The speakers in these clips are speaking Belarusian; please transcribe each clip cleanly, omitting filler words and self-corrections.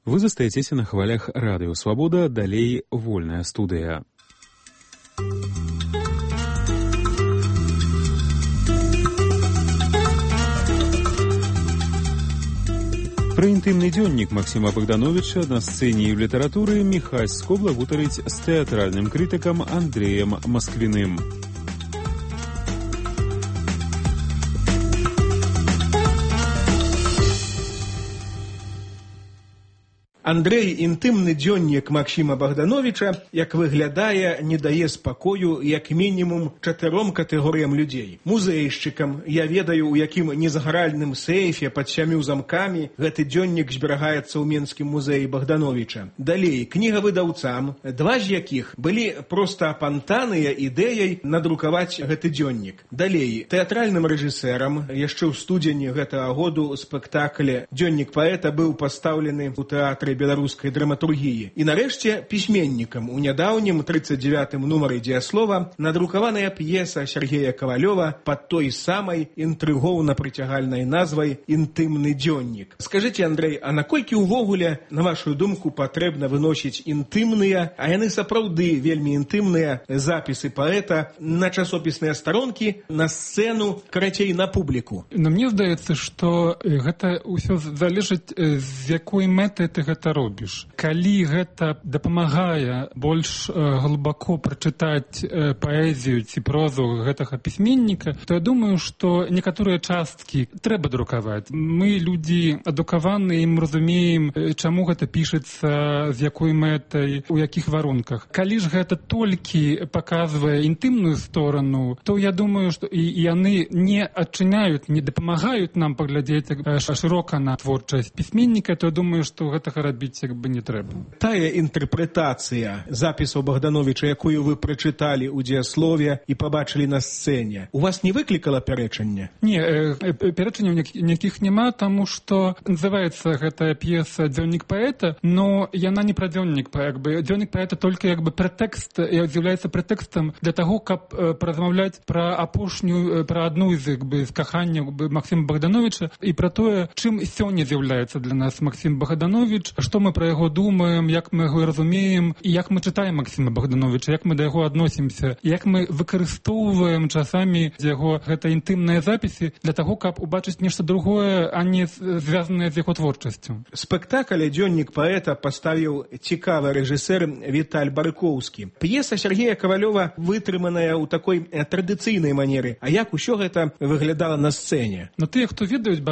Вы застаецеся на хвалях Радыё Свабода, далей вольная студыя. Пра інтымны дзённік Максіма Богдановича на сцэне і ў літаратуры Міхась Скобла гутарыць з тэатральным крытыкам Андрэем Масквіным. Андрэй, інтымны дзённік Максіма Богдановича, як выглядае, не дае спакою як мінімум 4 катэгорыям людзей. Музейшчыкам, я ведаю, у якім незагаральным сейфе пад 7 замкамі гэты дзённік зберагаецца ў Менскім музеі Богдановича. Далей, кнігавыдаўцам, 2 з якіх былі проста апантаныя ідэяй надрукаваць гэты дзённік. Далей, тэатральным рэжысэрам, яшчэ ў студзені гэтага году спектакле «Дзённік паэта» быў пастаўлены ў тэатры беларускай драматургіі. І нарэшце пісьменнікам у нядаўнім 39-м нумары «Дзеяслова» надрукаваная п'еса Сергея Ковалёва пад той самай інтрыгоўна-прыцягальнай назвай «Інтымны дзённік». Скажыце, Андрэй, а наколькі ўвогуле, на вашу думку, патрэбна выносіць інтымныя, а яны сапраўды вельмі інтымныя запісы паэта на часопісныя старонкі, на сцэну, карацей, на публіку? Но мне здаецца, што гэта ўсё залежыць, з якой мэтай ты гэта робіш. Калі гэта дапамагае больш глыбоко прачытаць паэзію ці прозу гэтага пісьменніка, то я думаю, што некаторыя часткі трэба друкаваць. Мы, людзі адукаваныя, і мы разумеем, чаму гэта пішацца, з якой мэтай, у якіх варунках. Калі ж гэта толькі паказвае інтымную сторону, то я думаю, што і яны не адчыняюць, не дапамагаюць нам паглядзець шырока на творчасць пісьменніка, то я думаю, што гэтага рабіць як бы не трэба. Тая інтэрпрэтацыя запісаў Богдановича, якую вы прачыталі ў дзеяслове і пабачылі на сцэне, у вас не выклікала пярэчання? Не, пярэчання ніякіх няма, таму што называецца гэтая п'еса «Дзённік паэта», но яна не пра дзённік паэта. Дзённік паэта толькі як бы прэтэкст, з'яўляецца прэтэкстам для таго, каб паразмаўляць пра апошнюю, пра адну з каханняў Максіма Богдановича і пра тое, чым сёння з'яўляецца для нас Максім Богданович, што мы пра яго думаем, як мы яго разумеем, і як мы чытаем Максіма Богдановича, як мы да яго адносімся, як мы выкарыстоўваем часамі яго гэта інтымныя запісы для таго, каб убачыць нешта другое, а не звязанае з яго творчасцю. Спектакль «Дзённік паэта» паставіў цікавы рэжысэр Віталь Баркоўскі. П'еса Сергея Ковалёва вытрыманая ў такой традыцыйнай манеры. А як усё гэта выглядала на сцэне? Но тыя, хто ведаюць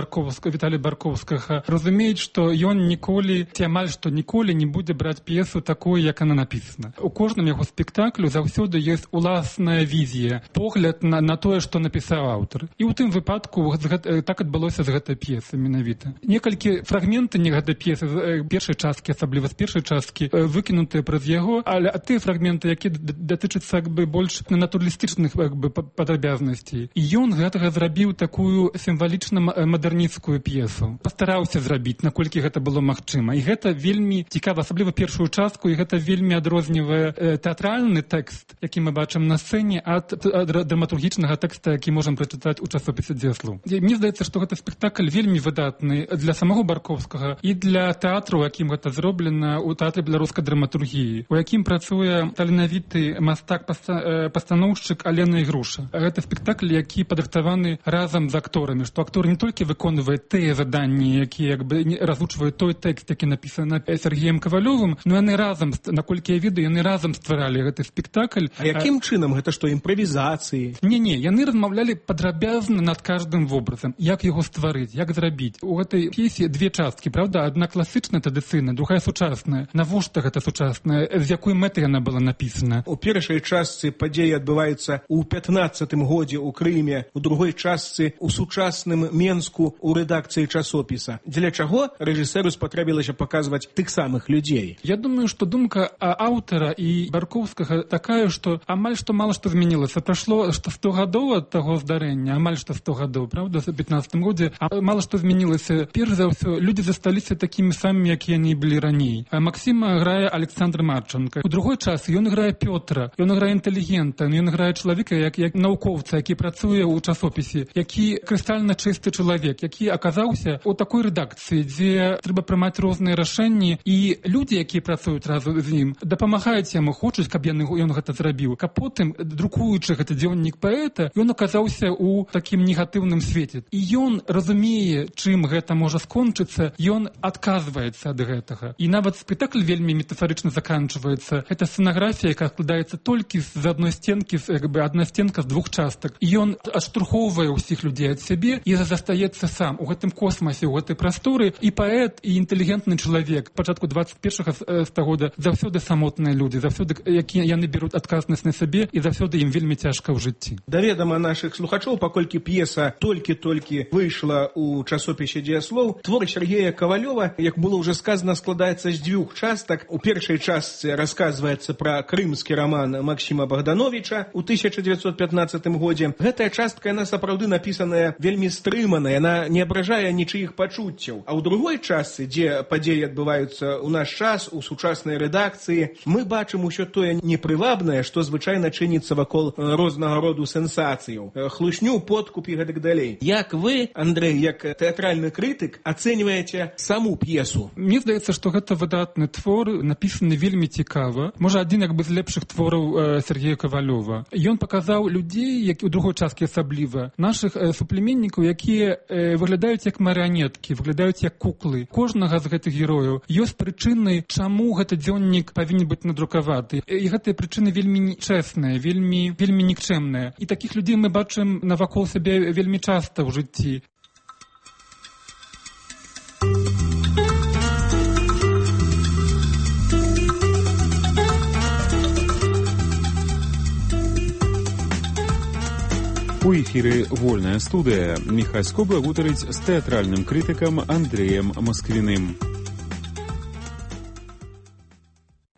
Віталя Баркоўскага, разумеюць, што ён ніколі, ці амаль што ніколі не будзе браць п'есу такой, як она напісана. У кожным яго спектаклю заўсёды ёсць уласная візія, погляд на тое, што напісаў аўтар. І ў тым выпадку так адбылося з гэтай п'есай менавіта. Некалькі фрагменты гэтай п'есы, першай часткі, асабліва з першай часткі, выкінутыя праз яго, але тыя фрагменты, якія датычацца больш натуралістычных падрабязнасцей. І ён гэтага зрабіў такую сімвалічна-мадэрнісцкую п'есу. Пастараўся зрабіць, наколькі гэта было магчыма. І гэта вельмі цікава, асабліва першую частку, і гэта вельмі адрознівае тэатральны тэкст, які мы бачым на сцэне, ад драматургічнага тэкста, які можам прачытаць у часопісе «Дзеяслоў». Мне здаецца, што гэты спектакль вельмі выдатны для самого Баркоўскага і для тэатру, у якім гэта зроблена, у тэатры беларускай драматургіі, у якім працуе таленавіты мастак-пастаноўшчык Алена Ігруша. Гэта спектакль, які падрыхтаваны разам з акторамі, што актор не толькі выконвае тыя заданні, якія разучваюць той тэкст, які напісаны Сергеем Ковалёвым, но яны разам, наколькі я ведаю, яны разам стваралі гэты спектакль. А якім чынам? Гэта што, імправізацыі? Не, яны размаўлялі падрабязна над каждым вобразам, як яго стварыць, як зрабіць. У гэтай п'есе 2 часткі, правда? Адна класычная, традыцыйная, другая сучасная. Навошта гэта сучасная? З якой мэтай яна была напісана? У першай частцы падзеі адбываюцца ў 15-м годзе ў Крыме, у другой частцы ў сучасным Менску у рэдакцыі часопіса. Для чаго рэжысэру спатрэбілася паказваць тых самых людзей? Я думаю, што думка аўтара і Баркоўскага такая, што амаль што мала што змянілася. Прайшло 100 гадоў ад таго здарэння, амаль што 100 гадоў, правда, у 15-м годзе, а мала што змянілася. Перш за ўсё, людзі засталіся такімі самымі, якія яны былі раней. А Максіма грае Александр Марченко. У другой час ён грае Пётра, ён грае інтэлігента, ён грае чалавека, як навукоўца, які працуе ў часопісе, які крыстальна чысты чалавек, які аказаўся у такой рэдакцыі, дзе трэба прымаць розныя правільныя рашэнні, і людзі, якія працуюць разам з ім, дапамагаюць яму, хочуць, каб ён гэта зрабіў. Каб потым, друкуючы гэты дзённік паэта, ён аказаўся ў такім негатыўным свеце. І ён разумее, чым гэта можа скончыцца, ён адказваецца ад гэтага. І нават спектакль вельмі метафарычна заканчваецца. Гэта сцэнаграфія, якая складаецца толькі з адной сценкі, адна сценка з двух частак. І ён адштурхоўвае ўсіх людзей ад сябе і застаецца сам у гэтым космасе, у гэтай прасторы. І паэт, і інтэлігентны чалавек пачатку 21 стагода заўсёды самотныя людзі, заўсёды якія яны беруць адказнасць на сабе, і заўсёды ім вельмі цяжка ў жыцці. Даведама нашых слухачоў, паколькі п'еса толькі-толькі выйшла ў часопісе «Дзеяслоў», твор Сергея Ковалёва, як было ўжо сказана, складаецца з дзвюх частак. У першай частцы расказваецца пра крымскі раман Максіма Богдановича ў 1915 годзе. Гэтая частка, яна сапраўды напісаная вельмі стрымана, яна не абражае нічыіх пачуццяў. А ў другой частцы, дзе падзеі адбываюцца ў наш час, у сучаснай рэдакцыі, мы бачым усё тое непрывабнае, што звычайна чыніцца вакол рознага роду сенсацыяў. Хлусню, подкуп і гэтак далей. Як вы, Андрэй, як тэатральны крытык, ацэньваеце саму п'есу? Мне здаецца, што гэта выдатны твор, напісаны вельмі цікава. Можа, адзін з лепшых твораў Сергея Ковалёва. Ён паказаў людзей, які ў другой часткі асабліва, нашых суплеменнікаў, якія выглядаюць як марыянеткі, выглядаюць як куклы. Кожнага з гэтых герояў ёсць прычыны, чаму гэты дзённік павінен быць надрукаваты. І гэтыя прычыны вельмі чэсныя, вельмі нікчэмныя. І такіх людзей мы бачым навакол сябе вельмі часта ў жыцці. У эфіры «Вольная студыя». Міхась Скобла гутарыць з тэатральным крытыкам Андрэем Масквіным.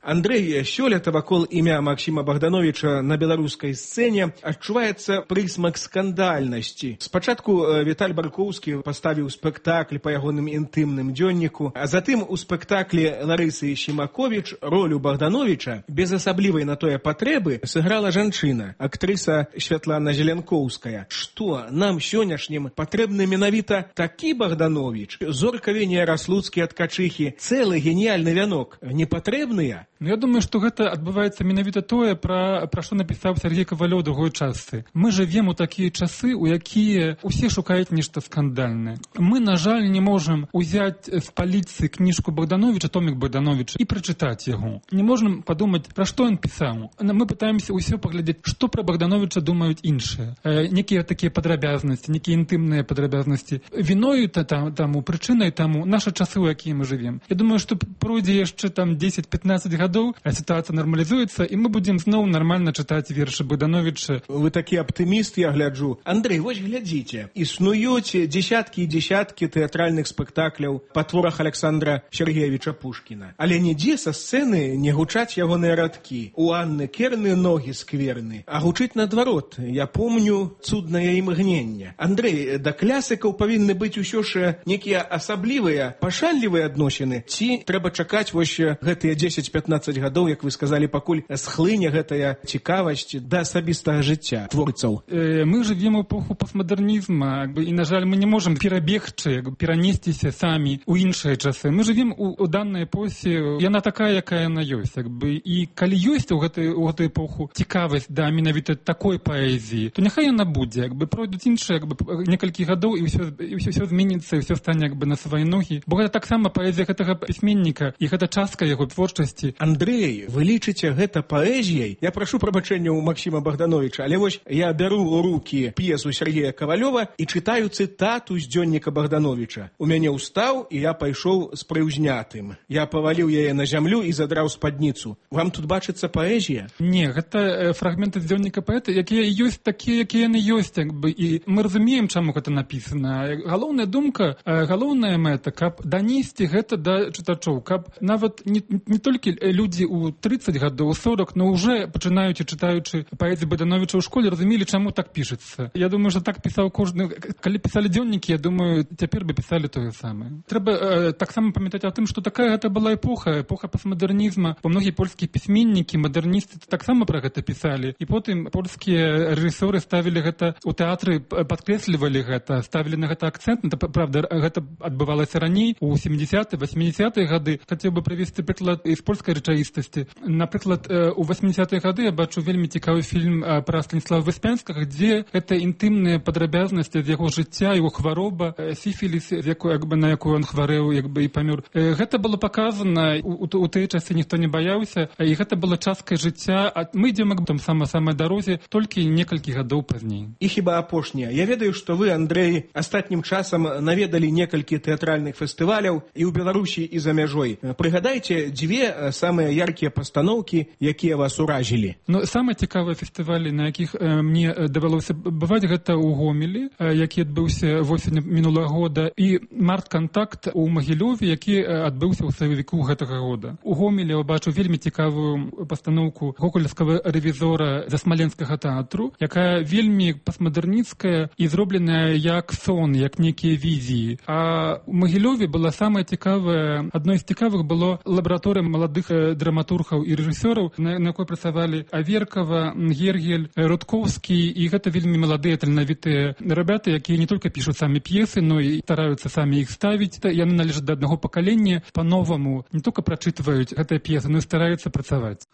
Андрэй, сёлета вакол імя Максіма Богдановича на беларускай сцэне адчуваецца прысмак скандальнасці. Спачатку Віталь Баркоўскі паставіў спектакль па ягоным інтымным дзённіку, а затым у спектаклі Ларысы Шімаковіч ролю Богдановича без асаблівай на тое патрэбы сыграла жанчына, актрыса Святлана Зеленкоўская. Што нам сённяшнім патрэбны менавіта такі Богданович? Зорка Венія Раслуцкі ад качыхі, цэлы геніяльны вянок не патрэбныя? Я думаю, што гэта адбываецца менавіта тое, пра што напісаў Сергей Ковалёў у другой частцы. Мы жывем у такія часы, у якія ўсе шукаюць нешта скандальнае. Мы, на жаль, не можам узяць з паліцы кніжку Богдановича, томік Богдановича, і прачытаць яго. Не можам падумаць, пра што ён пісаў. Мы пытаемся ўсё паглядзець, што пра Богдановича думаюць іншыя. Некія такія падрабязнасці, некія інтымныя падрабязнасці. Віною таму, прычынай таму нашы часы, у якія мы жывем. Я думаю, што пройдзе яшчэ 10-15 гадоў, ситуация нормализуется, и мы будем снова нормально читать верши Богдановича. Вы такі аптыміст, я гляджу. Андрэй, вось глядзіце. Існуюць дзесяткі і дзесяткі тэатральных спектакляў па творах Александра Сергеевича Пушкіна. Але нідзе са сцэны не гучаць ягоныя радкі. У Анны Керны ногі скверны. А гучыць наадварот. Я помню цуднае імгненне. Андрэй, да клясыкаў павінны быць усё ж некія асаблівыя, пашанлівыя адносіны. Ці трэба чакаць вось гэтыя 10-15 гадоў, як вы сказалі, пакуль схлыне гэтая цікавасць да асабістага жыцця творцаў. Мы жывем у эпоху постмадэрнізма, і, на жаль, мы не можам перабегчы, перанесціся самі ў іншыя часы. Мы жывем у данной эпосе, яна такая, якая яна ёсць. І калі ёсць у гэтую эпоху цікавасць да менавіта такой паэзіі, то няхай яна будзе. Пройдуць іншыя некалькі гадоў, і ўсё зменіцца, і ўсё стане на свае ногі. Бо гэта таксама паэзія гэтага пісьменніка, і гэта частка яго творчасці. Андрэй, вы лічыце гэта паэзіяй? Я прашу прабачэння ў Максіма Богдановича, але вось я бяру ў рукі п'есу Сергея Ковалёва і чытаю цытату з дзённіка Богдановича. У мяне ўстаў, і я пайшоў з прыўзнятым. Я паваліў яе на зямлю і задраў спадніцу. Вам тут бачыцца паэзія? Не, гэта фрагменты з дзённіка паэта, якія ёсць такія, якія яны ёсць. І мы разумеем, чаму гэта напісана. Галоўная думка, галоўная мэта, каб данесці гэта да чытачоў, каб нават не толькі людзі ў 30 гадоў, 40, но уже пачынаючы чытаючы паэзію Богдановича ў школе, разумелі, чаму так пішацца. Я думаю, што так пісаў кожны. Калі пісалі дзённікі, я думаю, цяпер бы пісалі тое самае. Трэба таксама памятаць о тым, што такая гэта была эпоха пастмадэрнізма. Бо многія польскія пісьменнікі, мадэрністы таксама пра гэта пісалі. І потым польскія рэжысёры ставілі гэта у тэатры, падкрэслівалі гэта, ставілі на гэта акцэнт. Правда, гэта адбывалася раней, у 70-е, 80-е гады. Хацеў бы прывесці прыклад з польскай рэчаіснасці. Напрыклад, у 80-е гады я бачу вельмі цікавы фільм пра Станіслава Выспянскага, дзе гэта інтымныя падрабязнасці з яго жыцця, яго хвароба, сіфіліс, на якую ён хварэў, і памёр. Гэта было паказана, у тыя часы ніхто не баяўся, і гэта была часткай жыцця. А мы ідзем там самай дарозе толькі некалькі гадоў пазней. І хіба апошняе. Я ведаю, што вы, Андрэй, астатнім часам наведалі некалькі тэатральных фестываляў і ў Беларусі, і за мяжой. Прыгадайце дзве самыя яркія пастаноўкі, якія вас уразілі. Самыя цікавыя фестывалі, на якіх мне давялося бываць, гэта ў Гомелі, які адбыўся восень мінулага года, і март-кантакт у Магілёве, які адбыўся ў сакавіку гэтага года. У Гомелі я бачу вельмі цікавую пастаноўку гогольскага рэвізора за Смаленскага тэатру, якая вельмі пастмадэрніцкая і зробленая як сон, як нейкія візіі. А у Магілёве была самая цікавая, адной з цікавых было лабараторыя маладых драматургаў і рэжысёраў, на якой працавалі Аверкава, Гергель, Рудкоўскі, і гэта вельмі маладыя таленавітыя ребята, якія не толькі пішуць самі п'есы, но і стараюцца самі іх ставіць. Яны належаць да аднаго пакалення, па-новаму не толькі прачытваюць гэтыя п'есы, но і стараюцца працаваць.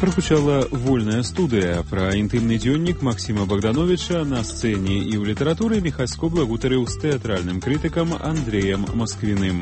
Прагучала вольная студыя. Пра інтымны дзённік Максіма Богдановича на сцэне і ў літаратуры Міхась Скобла гутарыў з тэатральным крытыкам Андрэем Масквіным.